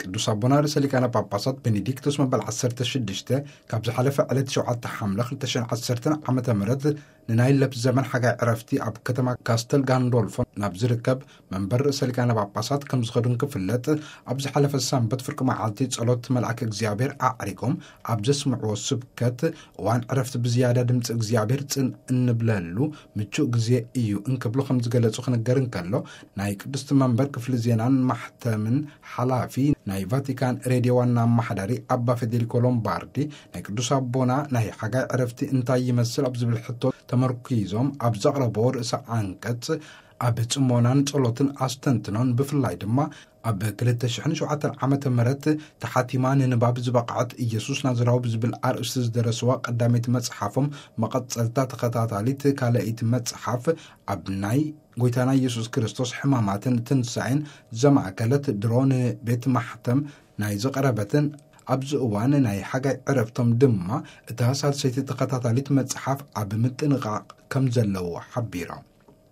ቅዱስ ኣቦና ርእሰ ሊቃነ ጳጳሳት ቤኔዲክቶስ መበል ዓሰርተ ሽዱሽተ ካብ ዝሓለፈ ዕለት ሸውዓተ ሓምለ ክልተ ሽሕን ዓሰርተን ዓመተ ምህረት ንናይ ለብ ዘመን ሓጋይ ዕረፍቲ ኣብ ከተማ ካስተል ጋንዶልፎ ናብ ዝርከብ መንበር ርእሰ ሊቃነ ጳጳሳት ከም ዝኸዱን ክፍለጥ፣ ኣብ ዝሓለፈ ሰንበት ፍርቂ መዓልቲ ጸሎት መልኣክ እግዚኣብሔር ኣዕሪጎም ኣብ ዘስምዕዎ ስብከት፣ እዋን ዕረፍቲ ብዝያዳ ድምፂ እግዚኣብሔር ጽን እንብለሉ ምቹእ ግዜ እዩ እንክብሉ ከም ዝገለጹ ክንገር እንከሎ፣ ናይ ቅድስቲ መንበር ክፍሊ ዜናን ማሕተምን ሓላፊ ናይ ቫቲካን ሬድዮ ዋና ኣመሓዳሪ ኣባ ፌዴሪኮ ሎምባርዲ፣ ናይ ቅዱስ ኣቦና ናይ ሓጋይ ዕረፍቲ እንታይ ይመስል ኣብ ዝብል ሕቶ ተመርኪዞም ኣብ ዘቕረቦ ርእሰ ዓንቀጽ፣ ኣብ ጽሞናን ጸሎትን ኣስተንትኖን ብፍላይ ድማ ኣብ ክልተ ሽሕን ሸውዓተን ዓመተ ምህረት ተሓቲማ ንንባብ ዝበቕዐት ኢየሱስ ናዝራዊ ብዝብል ኣርእስቲ ዝደረስዋ ቀዳመይቲ መጽሓፎም መቐጸልታ ተኸታታሊት ካልኣይቲ መጽሓፍ ኣብ ናይ ጎይታና ኢየሱስ ክርስቶስ ሕማማትን ትንሳኤን ዘማእከለት ድሮ ንቤት ማሕተም ናይ ዝቐረበትን ኣብዚ እዋን ናይ ሓጋይ ዕረፍቶም ድማ እታ ሳልሰይቲ ተኸታታሊት መጽሓፍ ኣብ ምጥንቓቕ ከም ዘለዎ ሓቢሮም።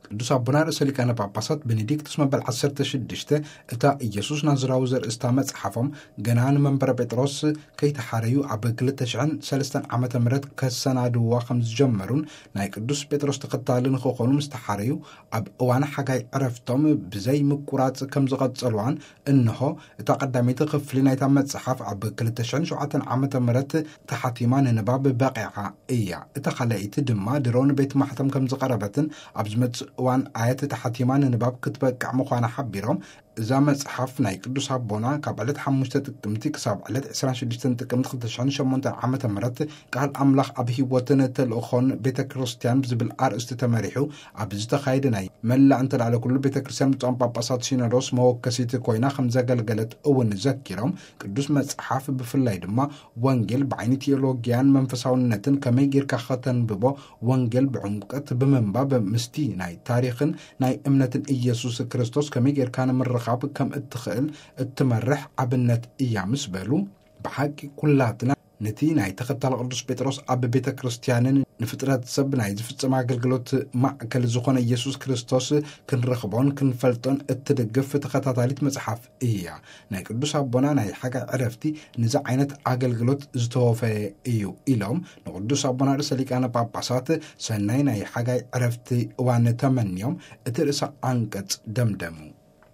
ቅዱስ ኣቦና ርእሰ ሊቃነ ጳጳሳት ቤኔዲክቱስ መበል ዓሰርተ ሽዱሽተ እታ ኢየሱስ ናዝራዊ ዘርእስታ መጽሓፎም ገና ንመንበረ ጴጥሮስ ከይተሓረዩ ኣብ ክልተ ሽሕን ሰለስተን ዓመተ ምህረት ከሰናድዋ ከም ዝጀመሩን ናይ ቅዱስ ጴጥሮስ ተኸታሊ ንክኾኑ ምስ ተሓረዩ ኣብ እዋን ሓጋይ ዕረፍቶም ብዘይ ምቁራጽ ከም ዝቐጸልዋን እንሆ እታ ቀዳመይቲ ክፍሊ ናይታ መጽሓፍ ኣብ ክልተ ሽሕን ሸውዓተን ዓመተ ምህረት ተሓቲማ ንንባብ በቂዓ እያ። እታ ካልኣይቲ ድማ ድሮ ንቤት ማሕተም ከም ዝቐረበትን ኣብ ዝመጽእ እዋን ኣየት ተሓቲማ ንንባብ ክትበቅዕ ምዃና ሓቢሮም፣ እዛ መጽሓፍ ናይ ቅዱስ ኣቦና ካብ ዕለት ሓሙሽተ ጥቅምቲ ክሳብ ዕለት ዕስራን ሽዱሽተን ጥቅምቲ ክልተ ሽሕን ሸሞንተን ዓመተ ምህረት ቃል ኣምላኽ ኣብ ህይወትን ተልእኾን ቤተ ክርስቲያን ብዝብል ኣርእስቲ ተመሪሑ ኣብ ዝተኻየደ ናይ መላእ እንተላዕለ ኩሉ ቤተ ክርስቲያን ብፁዓን ጳጳሳት ሲኖዶስ መወከሲት ኮይና ከም ዘገልገለት እውን ዘኪሮም፣ ቅዱስ መጽሓፍ ብፍላይ ድማ ወንጌል ብዓይኒ ቴዎሎጊያን መንፈሳውነትን ከመይ ጌርካ ከተንብቦ፣ ወንጌል ብዕምቀት ብምንባብ ምስቲ ናይ ታሪኽን ናይ እምነትን ኢየሱስ ክርስቶስ ከመይ ጌርካ ንምርኻብ ከም እትኽእል እትመርሕ ኣብነት እያ ምስ በሉ፣ ብሓቂ ኩላትና ነቲ ናይ ተኸታሊ ቅዱስ ጴጥሮስ ኣብ ቤተ ክርስቲያንን ንፍጥረት ሰብ ናይ ዝፍጸም ኣገልግሎት ማእከል ዝኾነ ኢየሱስ ክርስቶስ ክንረኽቦን ክንፈልጦን እትድግፍ ተኸታታሊት መጽሓፍ እያ። ናይ ቅዱስ ኣቦና ናይ ሓጋይ ዕረፍቲ ንዚ ዓይነት ኣገልግሎት ዝተወፈየ እዩ ኢሎም፣ ንቅዱስ ኣቦና ርእሰ ሊቃነ ጳጳሳት ሰናይ ናይ ሓጋይ ዕረፍቲ እዋን ተመንዮም፣ እቲ ርእሰ ዓንቀጽ ደምደሙ።